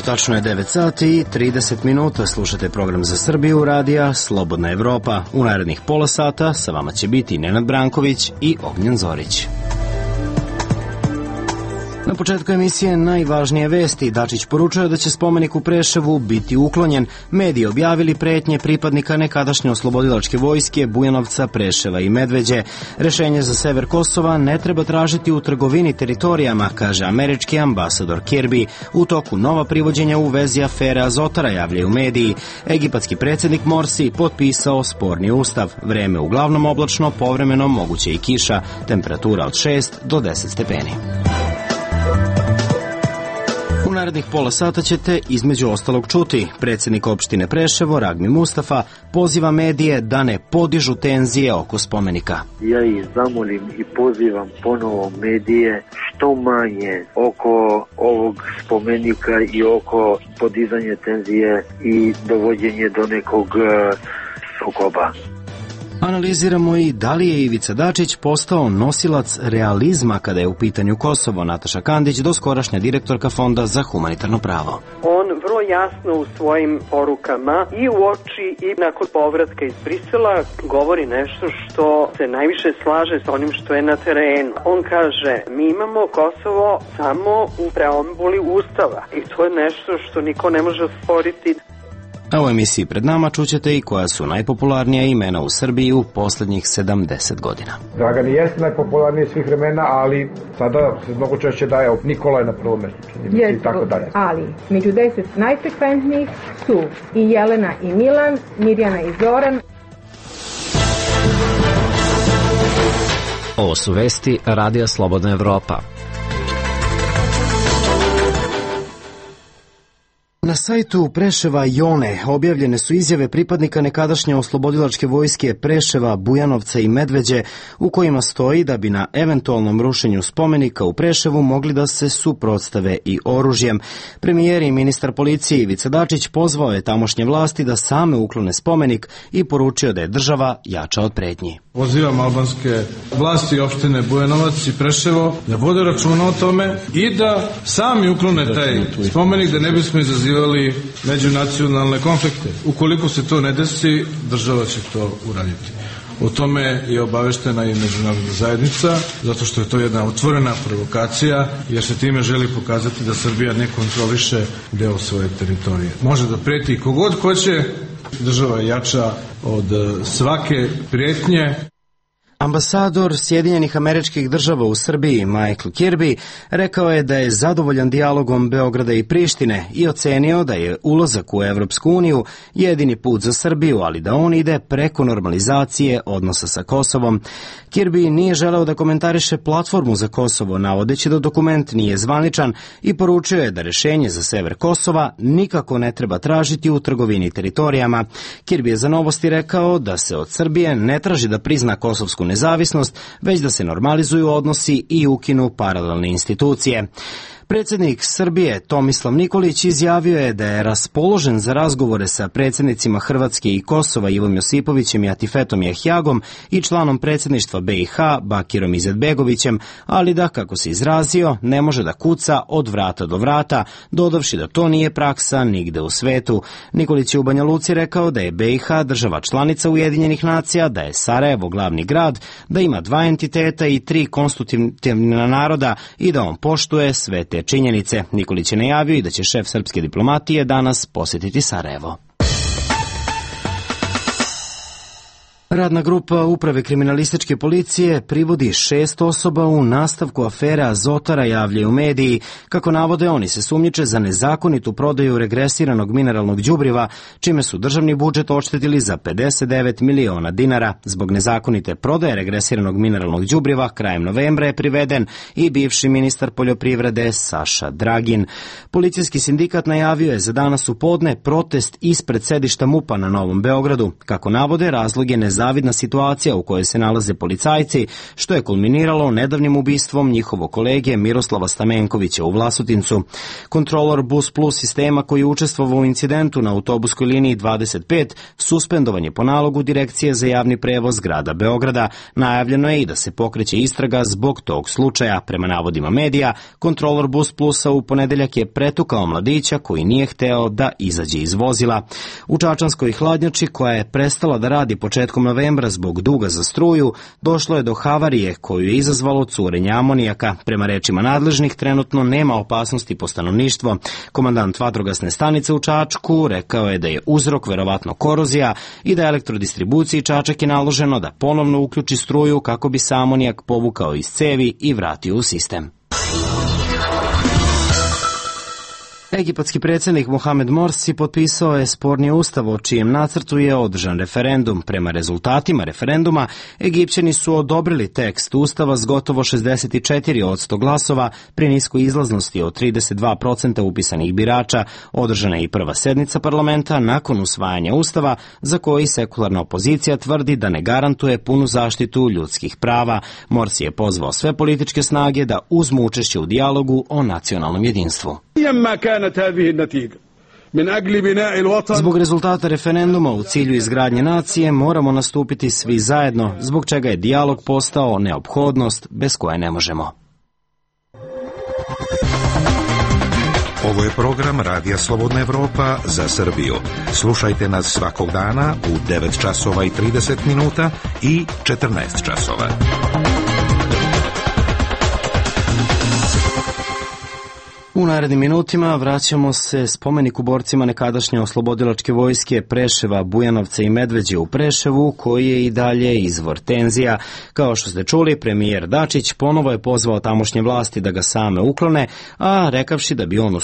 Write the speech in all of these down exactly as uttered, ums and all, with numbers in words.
Tačno je devet sati i trideset minuta, slušate program za Srbiju radija Slobodna Evropa. U narednih pola sata sa vama će biti Nenad Branković i Ognjen Zorić. Na početku emisije najvažnije vesti. Dačić poručuje da će spomenik u Preševu biti uklonjen. Mediji objavili pretnje pripadnika nekadašnje oslobodilačke vojske Bujanovca, Preševa i Medveđe. Rešenje za sever Kosova ne treba tražiti u trgovini teritorijama, kaže američki ambasador Kirby. U toku nova privođenja u vezi afere Azotara, javljaju mediji. Egipatski predsjednik Morsi potpisao sporni ustav. Vreme uglavnom oblačno, povremeno moguće i kiša. Temperatura od šest do deset stepeni. U narednih pola sata ćete između ostalog čuti. Predsjednik opštine Preševo, Ragmi Mustafa, poziva medije da ne podižu tenzije oko spomenika. Ja ih zamolim i pozivam ponovo medije što manje oko ovog spomenika i oko podizanja tenzije i dovođenje do nekog sukoba. Analiziramo i da li je Ivica Dačić postao nosilac realizma kada je u pitanju Kosovo. Nataša Kandić, doskorašnja direktorka Fonda za humanitarno pravo. On vrlo jasno u svojim porukama i u oči i nakon povratka iz Brisela govori nešto što se najviše slaže s onim što je na terenu. On kaže, mi imamo Kosovo samo u preambuli Ustava i to je nešto što niko ne može osporiti. A u emisiji pred nama čućete i koja su najpopularnija imena u Srbiji u posljednjih sedamdeset godina. Dragan jeste najpopularniji svih vremena, ali sada se mnogo češće daje Nikola je na prvom mjestu i tako dalje. Ali među deset najfrekventnijih su i Jelena i Milan, Mirjana i Zoran. Ovo su vesti Radija Slobodna Evropa. Na sajtu Preševa i One objavljene su izjave pripadnika nekadašnje oslobodilačke vojske Preševa, Bujanovca i Medveđe, u kojima stoji da bi na eventualnom rušenju spomenika u Preševu mogli da se suprotstave i oružjem. Premijer i ministar policije Ivica Dačić pozvao je tamošnje vlasti da same uklone spomenik i poručio da je država jača od pretnji. Pozivam albanske vlasti opštine Bujanovac i Preševo da vode računa o tome i da sami uklone taj spomenik, da ne bismo izazivali međunacionalne konflikte. Ukoliko se to ne desi, država će to uraditi. O tome je obaveštena i međunarodna zajednica, zato što je to jedna otvorena provokacija, jer se time želi pokazati da Srbija ne kontroliše deo svoje teritorije. Može da preti kogod hoće, država je jača od svake prijetnje. Ambasador Sjedinjenih Američkih Država u Srbiji, Michael Kirby, rekao je da je zadovoljan dijalogom Beograda i Prištine i ocenio da je ulazak u Evropsku uniju jedini put za Srbiju, ali da on ide preko normalizacije odnosa sa Kosovom. Kirby nije želeo da komentariše platformu za Kosovo, navodeći da dokument nije zvaničan, i poručio je da rešenje za sever Kosova nikako ne treba tražiti u trgovini teritorijama. Kirby je za Novosti rekao da se od Srbije ne traži da prizna kosovsku nezavisnost, već da se normalizuju odnosi i ukinu paralelne institucije. Predsjednik Srbije Tomislav Nikolić izjavio je da je raspoložen za razgovore sa predsjednicima Hrvatske i Kosova Ivom Josipovićem i Atifetom Jahjagom i članom predsjedništva B i H Bakirom Izetbegovićem, ali da, kako se izrazio, ne može da kuca od vrata do vrata, dodavši da to nije praksa nigde u svetu. Nikolić je u Banja Luci rekao da je B i H država članica Ujedinjenih nacija, da je Sarajevo glavni grad, da ima dva entiteta i tri konstitutivna naroda i da on poštuje sve te činjenice. Nikolić je najavio i da će šef srpske diplomatije danas posjetiti Sarajevo. Radna grupa Uprave kriminalističke policije privodi šest osoba u nastavku afere Azotara, javljaju mediji. Kako navode, oni se sumnjiče za nezakonitu prodaju regresiranog mineralnog đubriva, čime su državni budžet oštetili za pedeset devet miliona dinara. Zbog nezakonite prodaje regresiranog mineralnog đubriva krajem novembra je priveden i bivši ministar poljoprivrede Saša Dragin. Policijski sindikat najavio je za danas u podne protest ispred sedišta MUP-a na Novom Beogradu. Kako navode, razlog je nezakonito nezavidna situacija u kojoj se nalaze policajci, što je kulminiralo nedavnim ubistvom njihovog kolege Miroslava Stamenkovića u Vlasotincu. Kontrolor Bus Plus sistema koji je učestvovao u incidentu na autobuskoj liniji dvadeset pet suspendovan je po nalogu Direkcije za javni prevoz grada Beograda. Najavljeno je i da se pokreće istraga zbog tog slučaja. Prema navodima medija, kontrolor Bus Plusa u ponedeljak je pretukao mladića koji nije hteo da izađe iz vozila. U čačanskoj hladnjači, koja je prestala da radi početkom novembra zbog duga za struju, došlo je do havarije koju je izazvalo curenje amonijaka. Prema rečima nadležnih, trenutno nema opasnosti po stanovništvo. Komandant vatrogasne stanice u Čačku rekao je da je uzrok verovatno korozija i da elektrodistribuciji Čačak je naloženo da ponovno uključi struju kako bi se amonijak povukao iz cevi i vratio u sistem. Egipatski predsjednik Mohamed Morsi potpisao je sporni ustav o čijem nacrtu je održan referendum. Prema rezultatima referenduma, Egipćani su odobrili tekst ustava s gotovo šezdeset četiri posto glasova pri niskoj izlaznosti od trideset dva posto upisanih birača. Održana je i prva sednica parlamenta nakon usvajanja ustava, za koji sekularna opozicija tvrdi da ne garantuje punu zaštitu ljudskih prava. Morsi je pozvao sve političke snage da uzmu učešće u dijalogu o nacionalnom jedinstvu. Zbog rezultata referenduma u cilju izgradnje nacije moramo nastupiti svi zajedno, zbog čega je dijalog postao neophodnost bez koje ne možemo. Ovo je program Radija Slobodna Evropa za Srbiju. Slušajte nas svakog dana u devet časova i trideset minuta i četrnaest časova. U narednim minutima vraćamo se spomeniku borcima nekadašnje oslobodilačke vojske Preševa, Bujanovca i Medveđe u Preševu, koji je i dalje izvor tenzija. Kao što ste čuli, premijer Dačić ponovo je pozvao tamošnje vlasti da ga same uklone, a rekavši da bi on u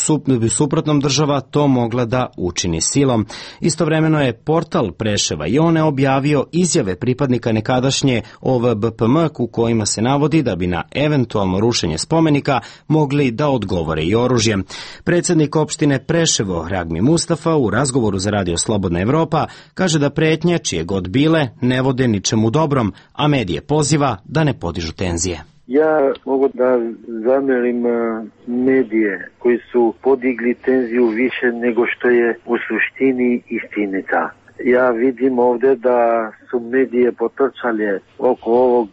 suprotnom država to mogla da učini silom. Istovremeno je portal Preševa i One objavio izjave pripadnika nekadašnje O V B P M u kojima se navodi da bi na eventualno rušenje spomenika mogli da odgovore i oružjem. Predsjednik opštine Preševo, Ragmi Mustafa, u razgovoru za Radio Slobodna Evropa kaže da pretnje, čije god bile, ne vode ničemu dobrom, a medije poziva da ne podižu tenzije. Ja mogu da zamerim medije koji su podigli tenziju više nego što je u suštini istinita. Ja vidim ovdje da su medije potrčale oko ovog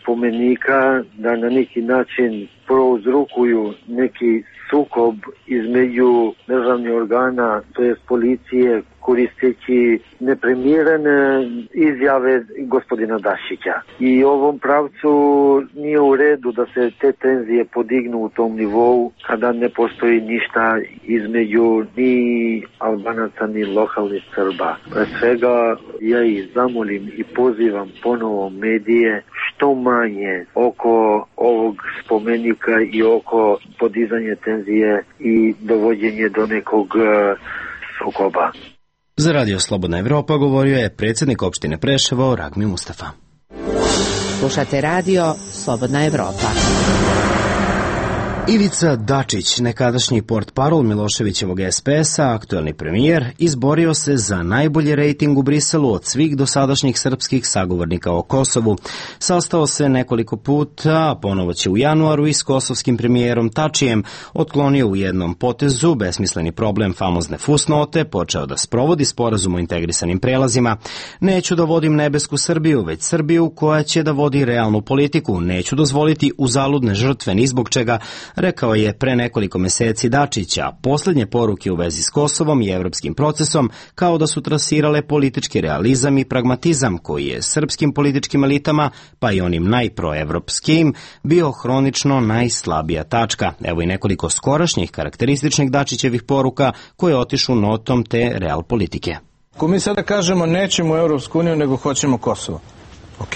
spomenika, da na neki način prouzrokuju neki sukob između državnih organa, to jest policije, koristeći neprimjerene izjave gospodina Dačića. I u ovom pravcu nije u redu da se te tenzije podignu u tom nivou kada ne postoji ništa između ni Albanaca ni lokalnih Srba. Pre svega ja ih zamolim i pozivam ponovo medije što manje oko ovog spomenika i oko podizanja tenzije i dovođenje do nekog sukoba. Za Radio Slobodna Evropa govorio je predsjednik opštine Preševo Ragmi Mustafa. Slušate Radio Slobodna Evropa. Ivica Dačić, nekadašnji portparol Miloševićevog S P S-a, aktuelni premijer, izborio se za najbolji rejting u Briselu od svih dosadašnjih srpskih sagovornika o Kosovu. Sastao se nekoliko puta, a ponovo će u januaru i s kosovskim premijerom Tačijem, otklonio u jednom potezu besmisleni problem famozne fusnote, počeo da sprovodi sporazum o integrisanim prelazima. Neću da vodim nebesku Srbiju, već Srbiju koja će da vodi realnu politiku. Neću dozvoliti uzaludne žrtve ni zbog čega, rekao je pre nekoliko meseci Dačića. Poslednje poruke u vezi s Kosovom i evropskim procesom kao da su trasirale politički realizam i pragmatizam koji je srpskim političkim elitama, pa i onim najproevropskim, bio hronično najslabija tačka. Evo i nekoliko skorašnjih karakterističnih Dačićevih poruka koje otišu notom te real politike. Ako mi sada kažemo nećemo u Evropsku uniju nego hoćemo Kosovo, ok,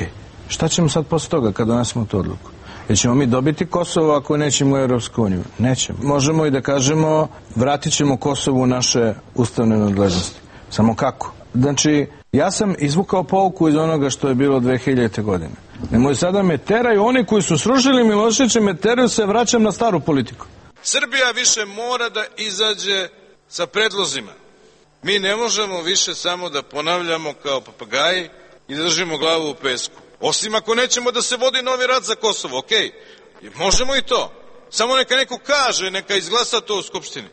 šta ćemo sad posle toga kad donesemo tu odluku? Jer ćemo mi dobiti Kosovo ako nećemo u Evropsku uniju? Nećemo. Možemo i da kažemo vratit ćemo Kosovo u naše ustavne nadležnosti. Samo kako? Znači, ja sam izvukao pouku iz onoga što je bilo dve hiljadite godine. Nemoj sada me teraju, oni koji su srušili Miloševića me teraju, se vraćam na staru politiku. Srbija više mora da izađe sa predlozima. Mi ne možemo više samo da ponavljamo kao papagaji i da držimo glavu u pesku. Osim ako nećemo da se vodi novi rat za Kosovo, okej, okay. Možemo i to. Samo neka neko kaže, neka izglasa to u Skupštini.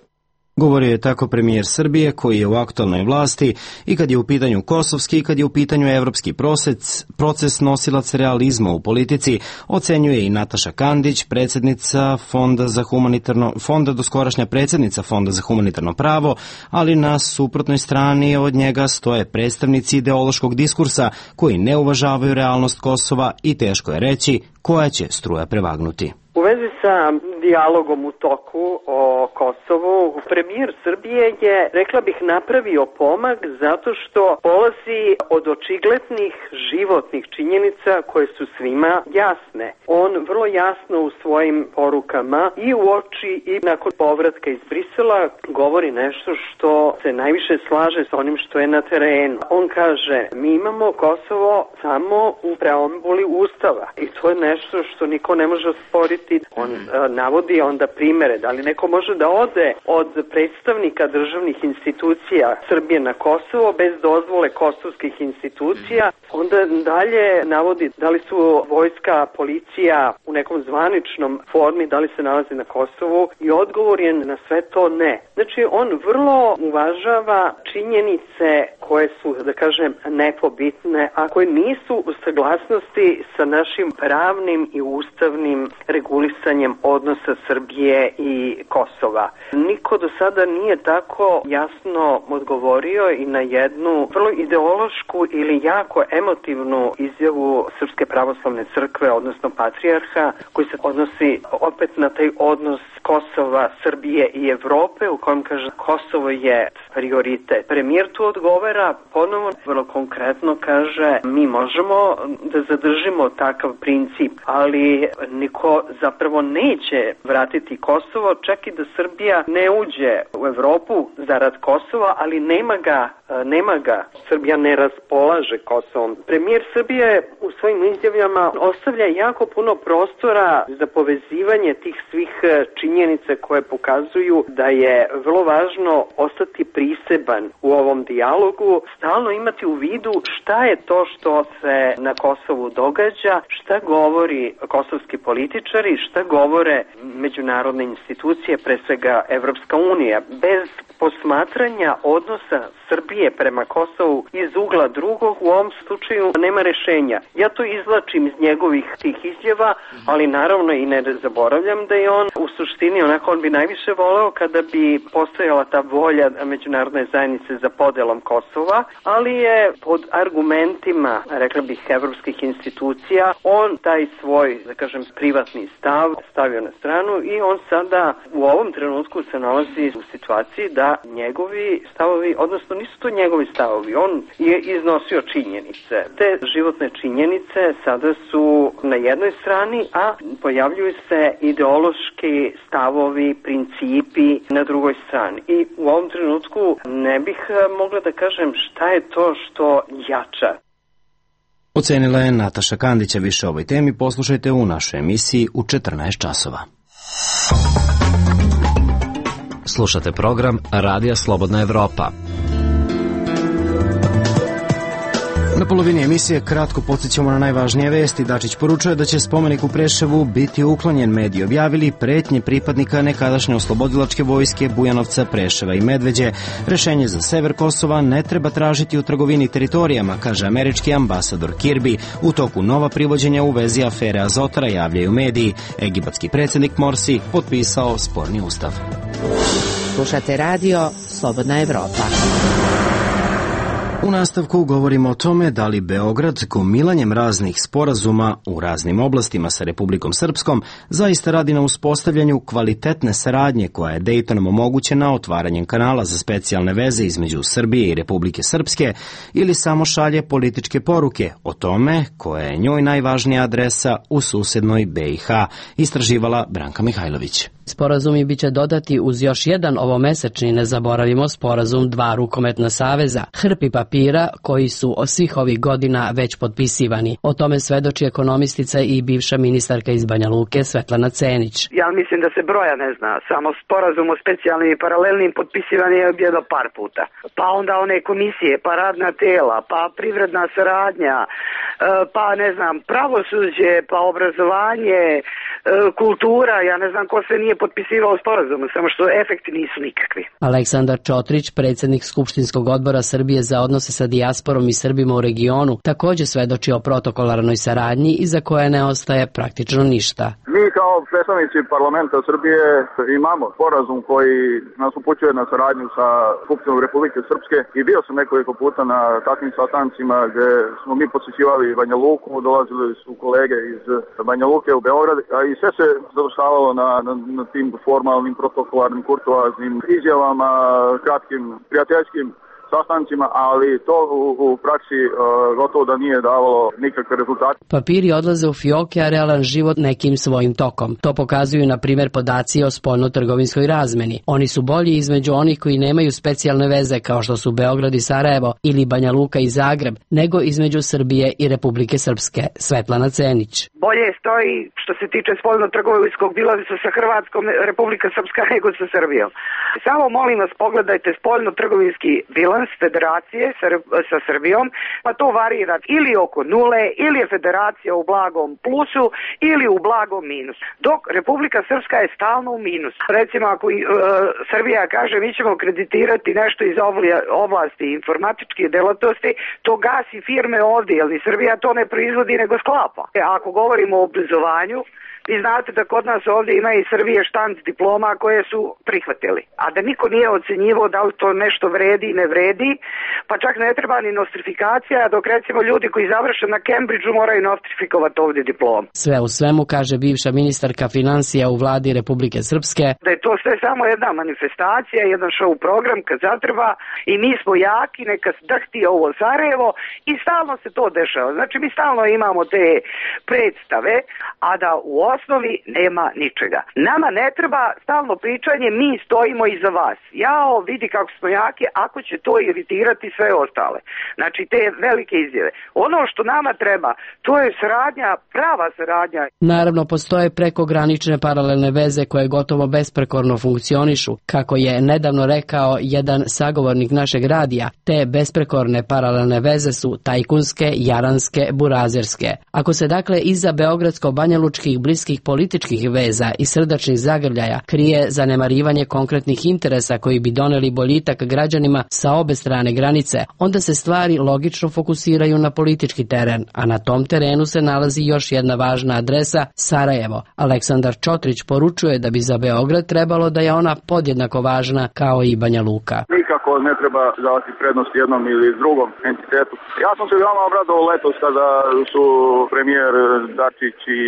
Govorio je tako premijer Srbije koji je u aktualnoj vlasti i kad je u pitanju kosovski i kad je u pitanju evropski proces, proces nosilac realizma u politici, ocenjuje i Nataša Kandić, predsjednica Fonda za humanitarno, Fonda doskorašnja predsjednica Fonda za humanitarno pravo, ali na suprotnoj strani od njega stoje predstavnici ideološkog diskursa koji ne uvažavaju realnost Kosova i teško je reći koja će struja prevagnuti. U vezi sa dijalogom u toku o Kosovu, premijer Srbije je, rekla bih, napravio pomak zato što polazi od očiglednih životnih činjenica koje su svima jasne. On vrlo jasno u svojim porukama i u oči i nakon povratka iz Brisela govori nešto što se najviše slaže sa onim što je na terenu. On kaže, mi imamo Kosovo samo u preambuli Ustava i to je nešto što niko ne može osporiti. On a, navodi onda primere, da li neko može da ode od predstavnika državnih institucija Srbije na Kosovo bez dozvole kosovskih institucija, onda dalje navodi da li su vojska, policija u nekom zvaničnom formi, da li se nalazi na Kosovu i odgovor je na sve to ne. Znači on vrlo uvažava činjenice koje su, da kažem, nepobitne, a koje nisu u saglasnosti sa našim pravnim i ustavnim regulisanjem odnosa Srbije i Kosova. Niko do sada nije tako jasno odgovorio i na jednu vrlo ideološku ili jako emotivnu izjavu Srpske pravoslavne crkve, odnosno patrijarha, koji se odnosi opet na taj odnos Kosova, Srbije i Evrope, u kojem kaže Kosovo je prioritet. Premijer tu odgovara, ponovo vrlo konkretno kaže, mi možemo da zadržimo takav princip, ali niko zapravo neće vratiti Kosovo, čak i da Srbija ne uđe u Evropu zarad Kosova, ali nema ga, nema ga. Srbija ne raspolaže Kosovom. Premijer Srbije u svojim izjavama ostavlja jako puno prostora za povezivanje tih svih činjenica koje pokazuju da je vrlo važno ostati priseban u ovom dijalogu, stalno imati u vidu šta je to što se na Kosovu događa, šta govori kosovski političari, šta govore međunarodne institucije, pre svega Evropska unija. Bez posmatranja odnosa Srbije prema Kosovu iz ugla drugog, u ovom slučaju nema rešenja. Ja to izvlačim iz njegovih tih izjava, ali naravno i ne zaboravljam da je on u suštini, onako on bi najviše voleo kada bi postojala ta volja međunarodne zajednice za podelom Kosova, ali je pod argumentima, rekla bih, evropskih institucija, on taj svoj, da kažem, privatni stav stavio na stranu i on sada u ovom trenutku se nalazi u situaciji da njegovi stavovi, odnosno nisu to njegovi stavovi, on je iznosio činjenice. Te životne činjenice sada su na jednoj strani, a pojavljuju se ideološki stavovi, principi na drugoj strani. I u ovom trenutku ne bih mogla da kažem šta je to što jača. Ocenila je Nataša Kandića. Više o ovoj temi poslušajte u našoj emisiji u četrnaest časova. Slušate program Radija Slobodna Evropa. Na polovini emisije kratko podsjećamo na najvažnije vesti. Dačić poručuje da će spomenik u Preševu biti uklonjen. Mediji objavili pretnje pripadnika nekadašnje oslobodilačke vojske Bujanovca, Preševa i Medveđe. Rešenje za sever Kosova ne treba tražiti u trgovini teritorijama, kaže američki ambasador Kirby. U toku nova privođenja u vezi afere Azotra javljaju mediji. Egipatski predsjednik Morsi potpisao sporni ustav. Slušate radio Slobodna Evropa. U nastavku govorimo o tome da li Beograd gomilanjem raznih sporazuma u raznim oblastima sa Republikom Srpskom zaista radi na uspostavljanju kvalitetne saradnje koja je Dejtonom omogućena otvaranjem kanala za specijalne veze između Srbije i Republike Srpske ili samo šalje političke poruke o tome koja je njoj najvažnija adresa u susednoj B i H, istraživala Branka Mihajlović. Sporazumi biće dodati uz još jedan ovomesečni, ne zaboravimo, sporazum dva rukometna saveza, hrpi papira koji su od svih ovih godina već potpisivani. O tome svedoči ekonomistica i bivša ministarka iz Banja Luke Svetlana Cenić. Ja mislim da se broja ne zna, samo sporazum o specijalnim i paralelnim potpisivan je jedno par puta. Pa onda one komisije, pa radna tela, pa privredna saradnja, pa ne znam, pravosuđe, pa obrazovanje, kultura, ja ne znam ko se nije potpisivao sporazum, samo što efekti nisu nikakvi. Aleksandar Čotrić, predsjednik Skupštinskog odbora Srbije za odnose sa dijasporom i Srbima u regionu, također svedoči o protokolarnoj saradnji iza koje ne ostaje praktično ništa. Mi kao predstavnici parlamenta Srbije imamo sporazum koji nas upućuje na saradnju sa Skupštinom Republike Srpske i bio sam nekoliko puta na takvim sastancima gdje smo mi posjećivali Banja Luku, dolazili su kolege iz Banja Luke u Beograd, a i sve se završavalo na, na, na tim formalnim, protokolarnim, kurtoaznim izjavama, kratkim, prijateljskim sastancima, ali to u, u praksi uh, gotovo da nije davalo nikakve rezultate. Papiri odlaze u fioke, a realan život nekim svojim tokom. To pokazuju, na primjer, podaci o spoljno-trgovinskoj razmeni. Oni su bolji između onih koji nemaju specijalne veze, kao što su Beograd i Sarajevo ili Banja Luka i Zagreb, nego između Srbije i Republike Srpske. Svetlana Cenić. Bolje stoji što se tiče spoljno-trgovinskog bilansa sa Hrvatskom, Republika Srpska nego sa Srbijom. Samo molim vas, pogledajte spoljno-trgovinski bilans federacije sa, sa Srbijom, pa to varira ili oko nule, ili je federacija u blagom plusu, ili u blagom minusu. Dok Republika Srpska je stalno u minusu. Recimo, ako uh, Srbija kaže mi ćemo kreditirati nešto iz oblasti informatičke delatnosti, to gasi firme ovdje, jer ni Srbija to ne proizvodi nego sklapa. Ako govorimo o obrazovanju, vi znate da kod nas ovdje ima i Srbije štanc diploma koje su prihvatili. A da niko nije ocenjivao da li to nešto vredi i ne vredi, pa čak ne treba ni nostrifikacija, dok recimo ljudi koji završe na Cambridgeu moraju nostrifikovati ovdje diplom. Sve u svemu, kaže bivša ministarka financija u vladi Republike Srpske, da je to sve samo jedna manifestacija, jedan show program kad zatreba i mi smo jaki, neka drhti ovo Sarajevo i stalno se to dešava. Znači mi stalno imamo te predstave, a da u osnovi nema ničega. Nama ne treba stalno pričanje, mi stojimo iza vas. Jao, vidi kako smo jaki, ako će to iritirati sve ostale. Znači te velike izjave. Ono što nama treba, to je saradnja, prava saradnja. Naravno, postoje prekogranične paralelne veze koje gotovo besprekorno funkcionišu. Kako je nedavno rekao jedan sagovornik našeg radija, te besprekorne paralelne veze su tajkunske, jaranske, burazerske. Ako se dakle iza beogradsko-banjalučkih bliskih političkih veza i srdačnih zagrljaja krije zanemarivanje konkretnih interesa koji bi doneli boljitak građanima sa obe strane granice, onda se stvari logično fokusiraju na politički teren, a na tom terenu se nalazi još jedna važna adresa, Sarajevo. Aleksandar Čotrić poručuje da bi za Beograd trebalo da je ona podjednako važna kao i Banja Luka. Nikako ne treba davati prednost jednom ili drugom entitetu. Ja sam se veoma obradovao letos kada su premijer Dačić i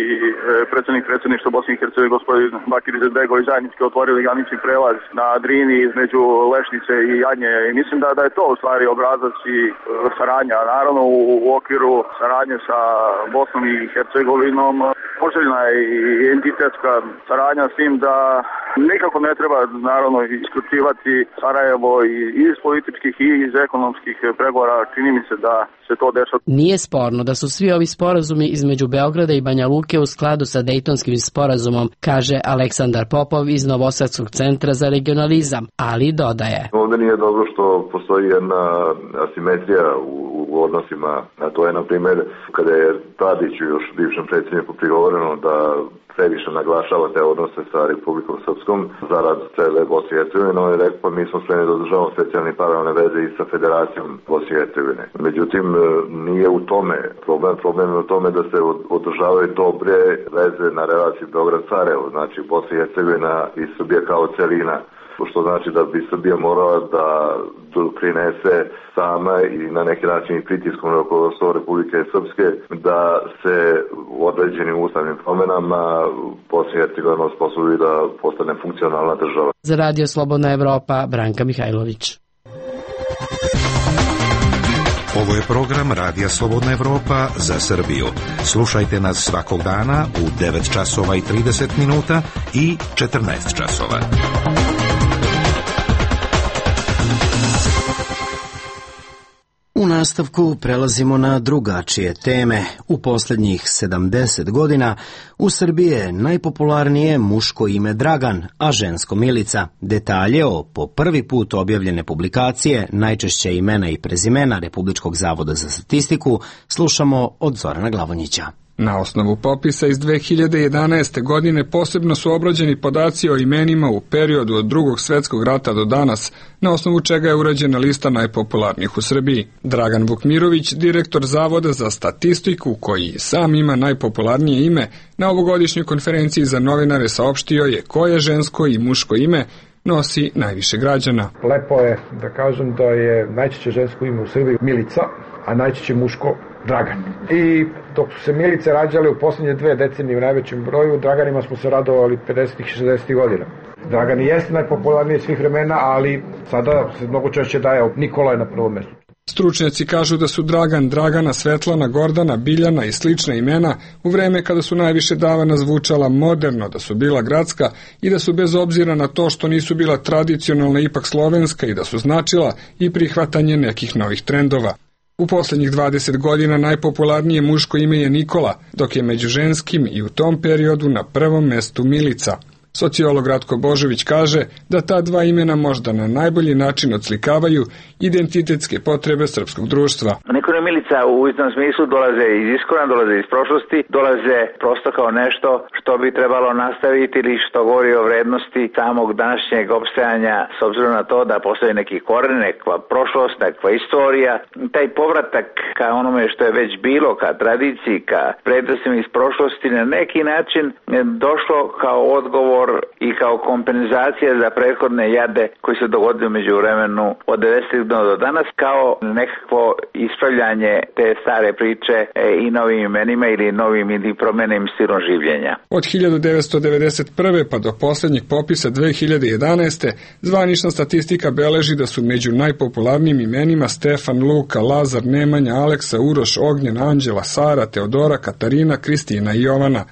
predsjednik predsjedništva Bosne i Hercegovine gospodin Bakir Izetbegović zajednički otvorili granični prelaz na Drini između Lešnice i Jadnje i mislim da, da je to u stvari obrazac i saradnja. Naravno u, u okviru saradnje sa Bosnom i Hercegovinom poželjna je i entitetska saradnja s tim da nikako ne treba naravno isključivati Sarajevo i iz političkih i iz ekonomskih pregovora. Čini mi se da se to dešava. Nije sporno da su svi ovi sporazumi između Beograda i Banja Luke u skladu sa Dejtonskim sporazumom, kaže Aleksandar Popov iz Novosadskog centra za regionalizam, ali dodaje. Ovdje nije dobro što postoji jedna asimetrija u, u odnosima, a to je na primjer kada je Tadiću još bivšem predsjedniku prigovoreno da previše naglašava te odnose sa Republikom Srpskom zarad cele Bosne i Hercegovine, on je rekao pa mi smo spremni da održavamo specijalne paralelne veze i sa Federacijom Bosne i Hercegovine. Međutim, nije u tome problem, problem je u tome da se održavaju dobre veze na relaciji Beograd-Sarajevo, znači Bosna i Hercegovina i Srbija kao celina. Što znači da bi Srbija morala da doprinese sama i na neki način i pritiskom na rukovodstvo Republike Srpske da se u određenim ustavnim promjenama Bosna i Hercegovina osposobi da postane funkcionalna država. Za Radio Slobodna Evropa, Branka Mihajlović. Ovo je program Radija Slobodna Evropa za Srbiju. Slušajte nas svakog dana u devet časova i trideset minuta i četrnaest časova. U nastavku prelazimo na drugačije teme. U posljednjih sedamdeset godina u Srbiji je najpopularnije muško ime Dragan, a žensko Milica. Detalje o po prvi put objavljene publikacije, najčešće imena i prezimena Republičkog zavoda za statistiku, slušamo od Zorana Glavonjića. Na osnovu popisa iz dve hiljade jedanaeste. godine posebno su obrađeni podaci o imenima u periodu od Drugog svjetskog rata do danas, na osnovu čega je urađena lista najpopularnijih u Srbiji. Dragan Vukmirović, direktor Zavoda za statistiku, koji sam ima najpopularnije ime, na ovogodišnjoj konferenciji za novinare saopštio je koje žensko i muško ime nosi najviše građana. Lepo je da kažem da je najčešće žensko ime u Srbiji Milica, a najčešće muško Dragan. I dok su se Milice rađale u posljednje dve decenije u najvećem broju, Draganima smo se radovali pedesetih i šezdesetih godina. Dragan jeste najpopularniji svih vremena, ali sada se mnogo češće daje Nikola je na prvom mjestu. Stručnjaci kažu da su Dragan, Dragana, Svetlana, Gordana, Biljana i slična imena u vreme kada su najviše davana zvučala moderno, da su bila gradska i da su bez obzira na to što nisu bila tradicionalna ipak slovenska i da su značila i prihvatanje nekih novih trendova. U posljednjih dvadeset godina najpopularnije muško ime je Nikola, dok je među ženskim i u tom periodu na prvom mestu Milica. Sociolog Ratko Božović kaže da ta dva imena možda na najbolji način odslikavaju identitetske potrebe srpskog društva. Nikola i Milica u istom smislu dolaze iz iskorena, dolaze iz prošlosti, dolaze prosto kao nešto što bi trebalo nastaviti ili što govori o vrednosti samog današnjeg opstajanja, s obzirom na to da postoji neki koren, nekakva prošlost, nekakva istorija. Taj povratak ka onome što je već bilo, ka tradiciji, ka prednostima iz prošlosti, na neki način došlo kao odgovor i kao kompenzacija za prethodne jade koji se dogodili među vremenu od devedesetih do danas, kao nekakvo ispravljanje te stare priče i novim imenima ili novim ili promenim stilom življenja. Od hiljadu devetsto devedeset prve. pa do posljednjeg popisa dve hiljade jedanaeste. zvanična statistika beleži da su među najpopularnijim imenima Stefan, Luka, Lazar, Nemanja, Aleksa, Uroš, Ognjen, Anđela, Sara, Teodora, Katarina, Kristina i Jovana.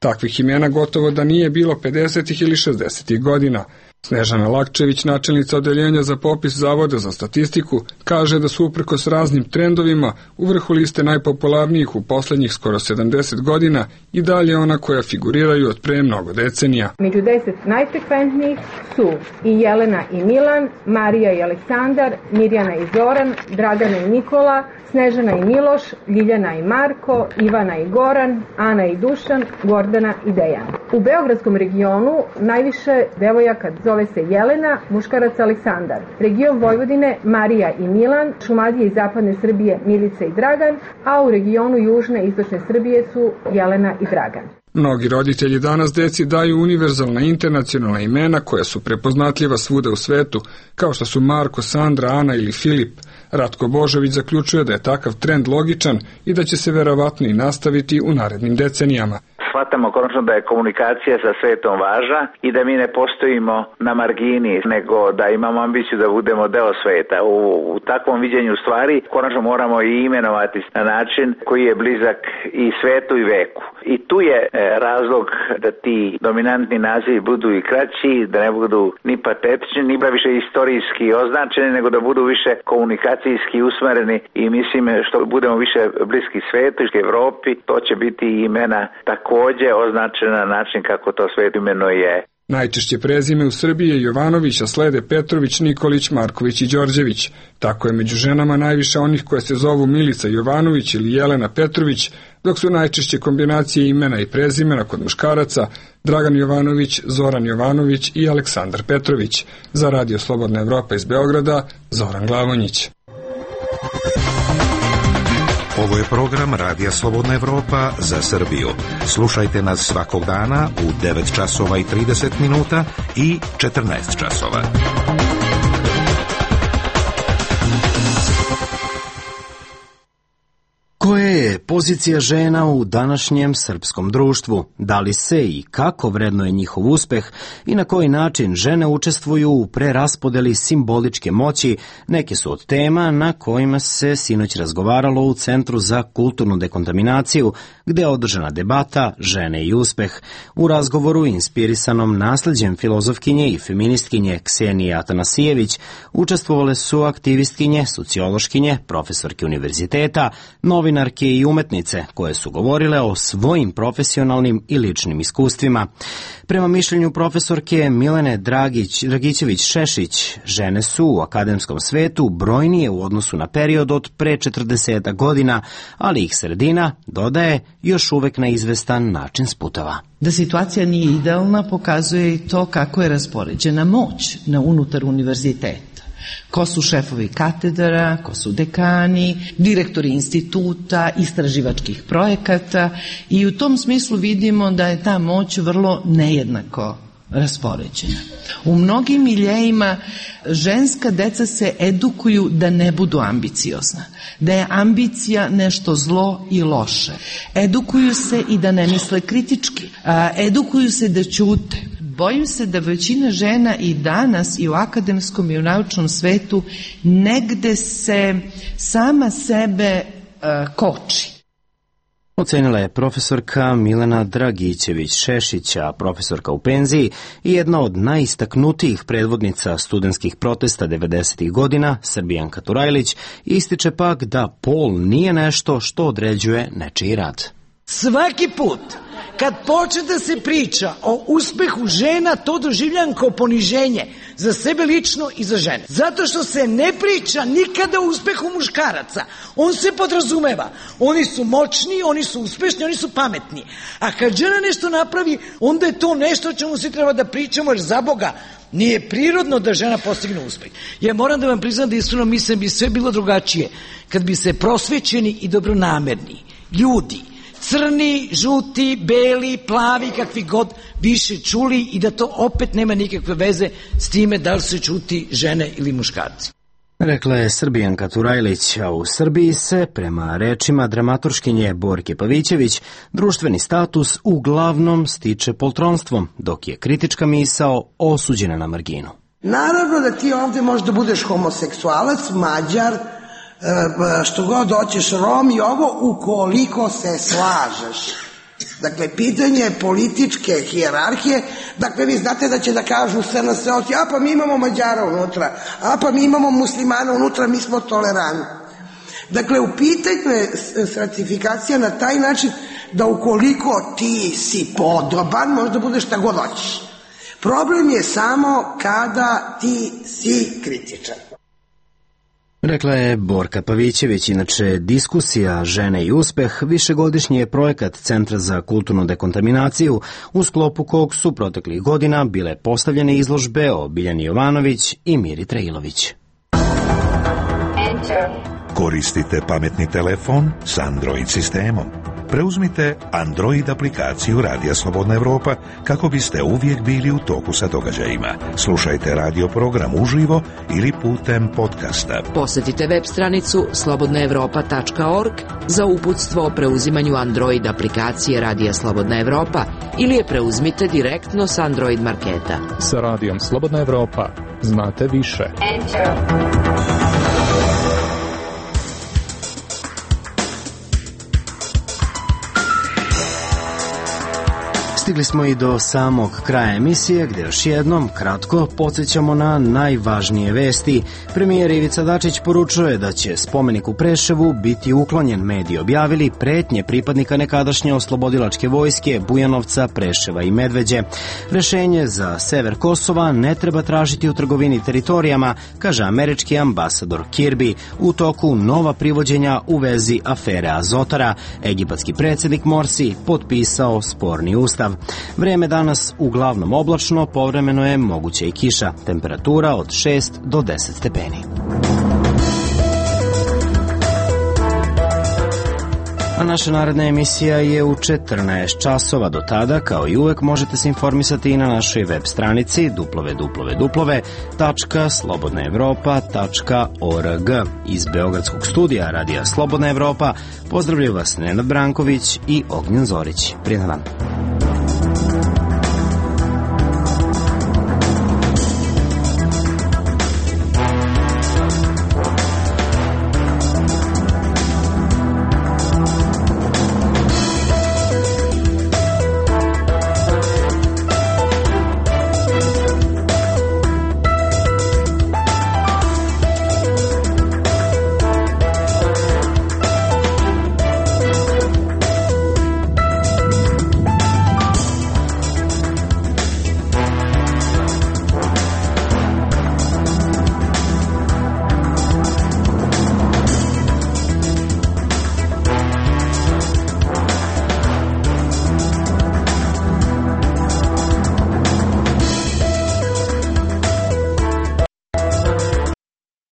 Takvih imena gotovo da nije bilo pedesetih ili šezdesetih godina. Snežana Lakčević, načelnica odeljenja za popis Zavoda za statistiku, kaže da su uprkos raznim trendovima u vrhu liste najpopularnijih u posljednjih skoro sedamdeset godina i dalje ona koja figuriraju od pre mnogo decenija. Među deset najfrekventnijih su i Jelena i Milan, Marija i Aleksandar, Mirjana i Zoran, Dragana i Nikola, Snežana i Miloš, Ljiljana i Marko, Ivana i Goran, Ana i Dušan, Gordana i Dejan. U beogradskom regionu najviše devojaka zove se Jelena, muškarac Aleksandar. Region Vojvodine Marija i Milan, Šumadije i zapadne Srbije Milica i Dragan, a u regionu južne i istočne Srbije su Jelena i Dragan. Mnogi roditelji danas deci daju univerzalna internacionalna imena koja su prepoznatljiva svuda u svetu, kao što su Marko, Sandra, Ana ili Filip. Ratko Božović zaključuje da je takav trend logičan i da će se verovatno i nastaviti u narednim decenijama. Shvatamo konačno da je komunikacija sa svetom važna i da mi ne postojimo na margini, nego da imamo ambiciju da budemo deo sveta. U, u takvom viđenju stvari konačno moramo i imenovati na način koji je blizak i svetu i veku. I tu je e, razlog da ti dominantni nazivi budu i kraći, da ne budu ni patetični, ni više istorijski označeni, nego da budu više komunikacijski usmereni i mislim što budemo više bliski svetu i Evropi, to će biti imena takođe označena na način kako to svet imenuje. Najčešće prezime u Srbiji je Jovanović, a slede Petrović, Nikolić, Marković i Đorđević. Tako je među ženama najviše onih koje se zovu Milica Jovanović ili Jelena Petrović, dok su najčešće kombinacije imena i prezimena kod muškaraca Dragan Jovanović, Zoran Jovanović i Aleksandar Petrović. Za Radio Slobodna Evropa iz Beograda, Zoran Glavonjić. Ovo je program Radija Slobodna Evropa za Srbiju. Slušajte nas svakog dana u devet časova i trideset minuta i četrnaest časova. Koje je je pozicija žena u današnjem srpskom društvu? Da li se i kako vrednuje njihov uspeh i na koji način žene učestvuju u preraspodeli simboličke moći, neke su od tema na kojima se sinoć razgovaralo u Centru za kulturnu dekontaminaciju, gde je održana debata Žene i uspeh. U razgovoru inspirisanom nasleđem filozofkinje i feministkinje Ksenije Atanasijević učestvovale su aktivistkinje, sociološkinje, profesorke univerziteta, novinarke i umetnice koje su govorile o svojim profesionalnim i ličnim iskustvima. Prema mišljenju profesorke Milene Dragić, Dragićević-Šešić, žene su u akademskom svetu brojnije u odnosu na period od pre četrdeset godina, ali ih sredina, dodaje, još uvek na izvestan način sputava. Da situacija nije idealna pokazuje i to kako je raspoređena moć na unutar univerziteta. Ko su šefovi katedara, ko su dekani, direktori instituta, istraživačkih projekata i u tom smislu vidimo da je ta moć vrlo nejednako raspoređena. U mnogim miljejima ženska deca se edukuju da ne budu ambiciozna, da je ambicija nešto zlo i loše. Edukuju se i da ne misle kritički, edukuju se da ćute. Bojim se da većina žena i danas i u akademskom i u naučnom svetu negde se sama sebe uh, koči. Ocenila je profesorka Milena Dragićević-Šešić, profesorka u penziji i jedna od najistaknutijih predvodnica studentskih protesta devedesetih godina, Srbijanka Turajlić, ističe pak da pol nije nešto što određuje nečiji rad. Svaki put kad počne da se priča o uspehu žena, to doživljam kao poniženje za sebe lično i za žene. Zato što se ne priča nikada o uspehu muškaraca. On se podrazumeva. Oni su moćni, oni su uspešni, oni su pametni. A kad žena nešto napravi, onda je to nešto o čemu se treba da pričamo, jer za Boga nije prirodno da žena postigne uspeh. Ja moram da vam priznam da iskreno mislim bi sve bilo drugačije kad bi se prosvećeni i dobronamerni ljudi, crni, žuti, beli, plavi, kakvi god, više čuli i da to opet nema nikakve veze s time da li se čuti žene ili muškarci. Rekla je Srbijanka Turajlić, a u Srbiji se, prema rečima dramaturškinje Borke Pavićević, društveni status uglavnom stiče poltronstvom, dok je kritička misao osuđena na marginu. Naravno da ti ovde možda budeš homoseksualac, Mađar, što god hoćeš, Rom i ovo, ukoliko se slažeš. Dakle, pitanje političke hijerarhije, dakle, vi znate da će da kažu S N S oci, a pa mi imamo Mađara unutra, a pa mi imamo muslimana unutra, mi smo tolerantni. Dakle, u pitanju je stratifikacija na taj način da ukoliko ti si podoban, možda budeš šta god hoćeš. Problem je samo kada ti si kritičan. Rekla je Borka Pavićević. Inače, diskusija Žene i uspeh višegodišnji je projekat Centra za kulturnu dekontaminaciju, u sklopu kog su proteklih godina bile postavljene izložbe o Biljani Jovanović i Miri Trailović. Koristite pametni telefon s Android sistemom. Preuzmite Android aplikaciju Radija Slobodna Evropa kako biste uvijek bili u toku sa događajima. Slušajte radio program uživo ili putem podcasta. Posjetite web stranicu slobodna evropa tačka org za uputstvo o preuzimanju Android aplikacije Radija Slobodna Evropa ili je preuzmite direktno s Android marketa. Sa Radijom Slobodna Evropa znate više. Enter. Stigli smo i do samog kraja emisije, gde još jednom kratko podsjećamo na najvažnije vesti. Premijer Ivica Dačić poručuje da će spomenik u Preševu biti uklonjen. Mediji objavili pretnje pripadnika nekadašnje oslobodilačke vojske Bujanovca, Preševa i Medveđe. Rešenje za sever Kosova ne treba tražiti u trgovini teritorijama, kaže američki ambasador Kirby. U toku nova privođenja u vezi afere Azotara. Egipatski predsjednik Morsi potpisao sporni ustav. Vreme danas uglavnom oblačno, povremeno je moguće i kiša. Temperatura od šest do deset stepeni. A naša naredna emisija je u četrnaest časova. Do tada, kao i uvek, možete se informisati i na našoj web stranici w w w tačka slobodna evropa tačka org. Iz Beogradskog studija Radija Slobodna Evropa pozdravljaju vas Nenad Branković i Ognjen Zorić. Prijetan dan.